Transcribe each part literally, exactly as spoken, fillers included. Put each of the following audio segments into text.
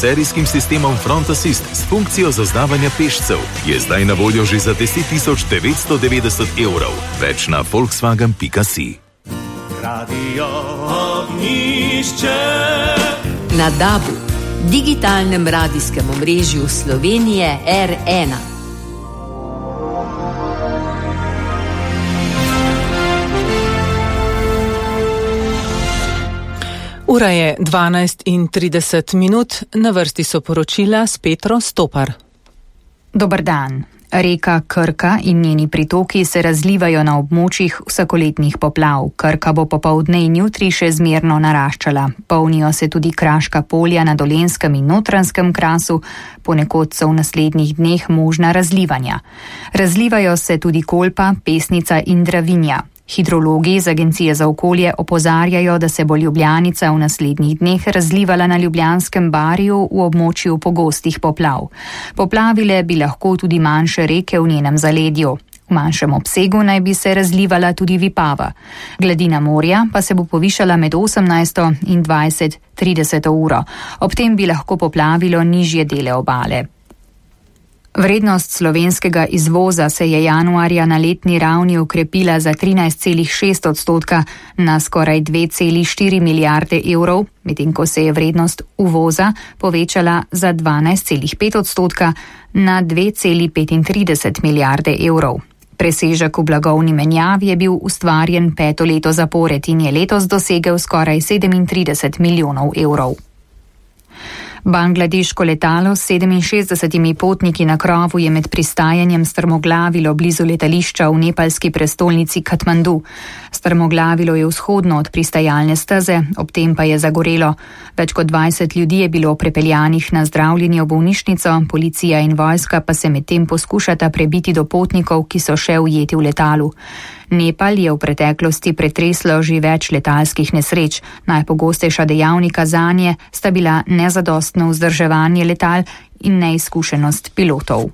Serijskim sistemom Front Assist s funkcijo zaznavanja pešcev je zdaj na voljo že za deset tisoč devetsto devetdeset evrov. Več na volkswagen pika si. Radio Ognjišče. Na dabu, digitalnem radijskem omrežju Slovenije R ena. Ura je dvanajst in trideset minut, na vrsti so poročila s Petro Stopar. Dober dan. Reka Krka in njeni pritoki se razlivajo na območjih vsakoletnih poplav. Krka bo popoldne in jutri še zmerno naraščala. Polnijo se tudi kraška polja na Dolenjskem in Notranjskem krasu, ponekod so v naslednjih dneh možna razlivanja. Razlivajo se tudi Kolpa, Pesnica in Dravinja. Hidrologi iz Agencije za okolje opozarjajo, da se bo Ljubljanica v naslednjih dneh razlivala na Ljubljanskem barju v območju pogostih poplav. Poplavile bi lahko tudi manjše reke v njenem zaledju. V manjšem obsegu naj bi se razlivala tudi Vipava. Gladina morja pa se bo povišala med osemnajsto in dvajset trideseto uro. Ob tem bi lahko poplavilo nižje dele obale. Vrednost slovenskega izvoza se je januarja na letni ravni okrepila za trinajst celih šest odstotka na skoraj dve celih štiri milijarde evrov, medtem ko se je vrednost uvoza povečala za dvanajst celih pet odstotka na dve celih petintrideset milijarde evrov. Presežek v blagovni menjavi je bil ustvarjen peto leto zapored in je letos dosegel skoraj sedemintrideset milijonov evrov. Bangladeško letalo s sedeminšestdesetimi potniki na krovu je med pristajanjem strmoglavilo blizu letališča v nepalski prestolnici Katmandu. Strmoglavilo je vzhodno od pristajalne steze, ob tem pa je zagorelo. Več kot dvajset ljudi je bilo prepeljanih na zdravljenje v bolnišnico, policija in vojska pa se medtem poskušata prebiti do potnikov, ki so še ujeti v letalu. Nepal je v preteklosti pretreslo že več letalskih nesreč. Najpogostejša dejavnika zanje sta bila nezadostno vzdrževanje letal in neizkušenost pilotov.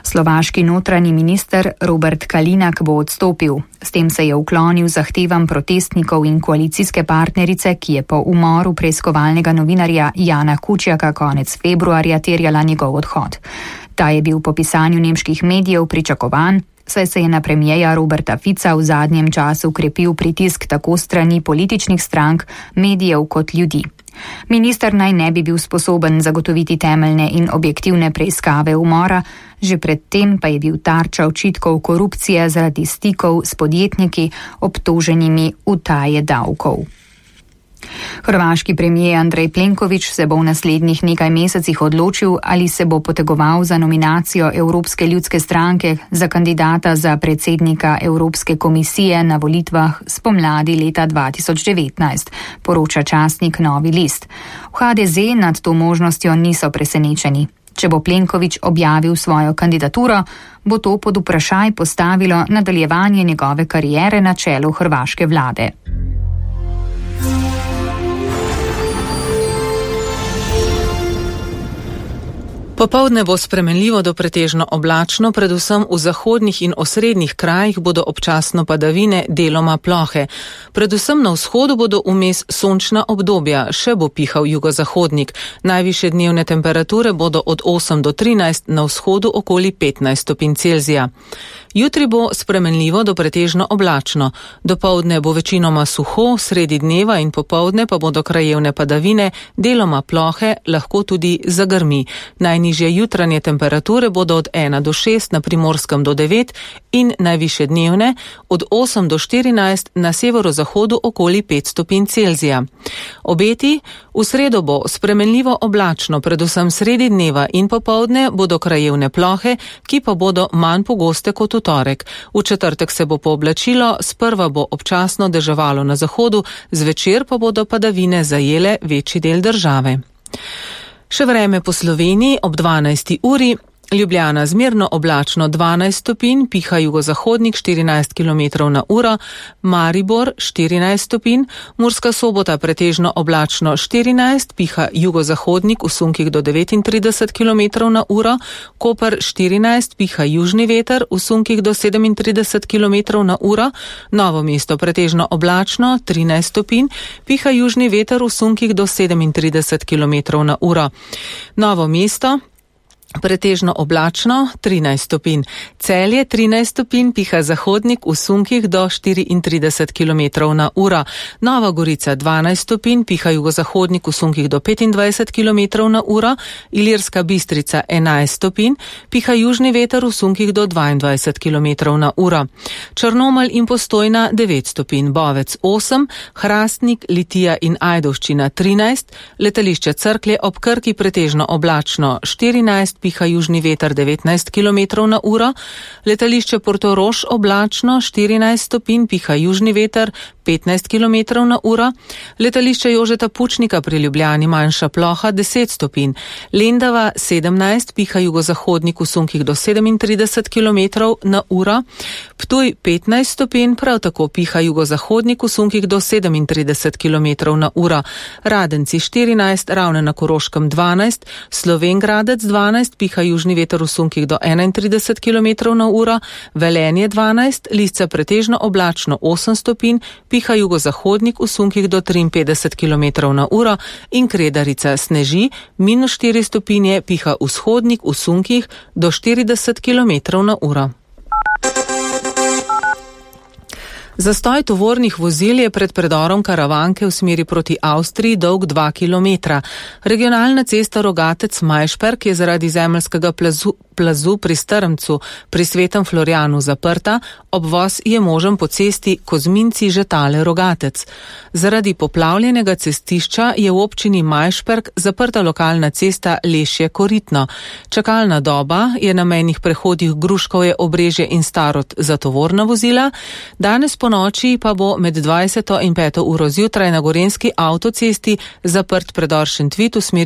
Slovaški notranji minister Robert Kalinak bo odstopil. S tem se je uklonil zahtevam protestnikov in koalicijske partnerice, ki je po umoru preiskovalnega novinarja Jana Kuciaka konec februarja terjala njegov odhod. Ta je bil po pisanju nemških medijev pričakovan, saj se je na premijeja Roberta Fica v zadnjem času krepil pritisk tako strani političnih strank, medijev kot ljudi. Minister naj ne bi bil sposoben zagotoviti temeljne in objektivne preiskave umora, že predtem pa je bil tarča očitkov korupcije zaradi stikov s podjetniki obtoženimi utaje davkov. Hrvaški premijer Andrej Plenković se bo v naslednjih nekaj mesecih odločil, ali se bo potegoval za nominacijo Evropske ljudske stranke za kandidata za predsednika Evropske komisije na volitvah spomladi leta dva tisoč devetnajst, poroča časnik Novi list. V ha de ze nad to možnostjo niso presenečeni. Če bo Plenković objavil svojo kandidaturo, bo to pod vprašaj postavilo nadaljevanje njegove kariere na čelu hrvaške vlade. Popoldne bo spremenljivo do pretežno oblačno, predvsem v zahodnih in osrednjih krajih bodo občasno padavine, deloma plohe. Predvsem na vzhodu bodo vmes sončna obdobja, še bo pihal jugozahodnik. Najvišje dnevne temperature bodo od osem do trinajst, na vzhodu okoli petnajst stopinj Celzija. Jutri bo spremenljivo do pretežno oblačno. Dopoldne bo večinoma suho, sredi dneva in popoldne pa bodo krajevne padavine, deloma plohe, lahko tudi zagrmi. Najnižje jutranje temperature bodo od ena do šest, na Primorskem do devet in najvišje dnevne od osem do štirinajst, na severozahodu okoli pet stopinj Celzija. Obeti: v sredo bo spremenljivo oblačno, predvsem sredi dneva in popoldne bodo krajevne plohe, ki pa bodo manj pogoste kot v torek. V četrtek se bo pooblačilo, sprva bo občasno deževalo na zahodu, zvečer pa bodo padavine zajele večji del države. Še vreme po Sloveniji ob dvanajsti uri. Ljubljana zmerno oblačno dvanajst stopinj, piha jugozahodnik štirinajst kilometrov na uro, Maribor štirinajst stopinj, Murska Sobota pretežno oblačno štirinajst, piha jugozahodnik v sunkih do devetintrideset kilometrov na uro, Koper štirinajst, piha južni veter v sunkih do sedemintrideset kilometrov na uro, Novo mesto pretežno oblačno trinajst stopinj, piha južni veter v sunkih do sedemintrideset kilometrov na uro. Novo mesto pretežno oblačno trinajst stopinj. Celje trinajst stopinj, piha zahodnik v sunkih do štiriintrideset kilometrov na uro. Nova Gorica dvanajst stopinj, piha jugozahodnik v sunkih do petindvajset kilometrov na uro. Ilirska Bistrica enajst stopinj, piha južni veter v sunkih do dvaindvajset kilometrov na uro. Črnomelj in Postojna devet stopinj, Bovec osem, Hrastnik, Litija in Ajdovščina trinajst, letališče Cerklje ob Krki pretežno oblačno štirinajst, piha južni veter devetnajst kilometrov na uro, letališče Portorož oblačno štirinajst stopinj, piha južni veter petnajst kilometrov na uro, letališče Jožeta Pučnika pri Ljubljani manjša ploha deset stopinj, Lendava sedemnajst, piha jugozahodnik v sunkih do sedemintrideset kilometrov na uro, Ptuj petnajst stopinj, prav tako piha jugozahodnik v sunkih do sedemintrideset kilometrov na uro, Radenci štirinajst, Ravne na Koroškem dvanajst, Slovengradec dvanajst, piha južni veter v sunkih do enaintrideset kilometrov na uro, Velenje dvanajst, Lisca pretežno oblačno osem stopinj, piha jugozahodnik v sunkih do triinpetdeset kilometrov na uro in Kredarica sneži, minus štiri stopinje, piha vzhodnik v sunkih do štirideset kilometrov na uro. Zastoj tovornih vozil je pred predorom Karavanke v smeri proti Avstriji dolg dva kilometra. Regionalna cesta Rogatec-Majšperk je zaradi zemeljskega plazu, plazu pri Strmcu pri Svetem Florjanu zaprta, obvoz je možen po cesti Kozminci-Žetale-Rogatec. Zaradi poplavljenega cestišča je v občini Majšperk zaprta lokalna cesta Lešje-Koritno. Čakalna doba je na mejnih prehodih Gruškovje, Obrežje in Starod za tovorna vozila. Danes po noči pa bo med dvajseto in peto uro zjutraj na gorenjski avtocesti zaprt predor Šentvid v smeri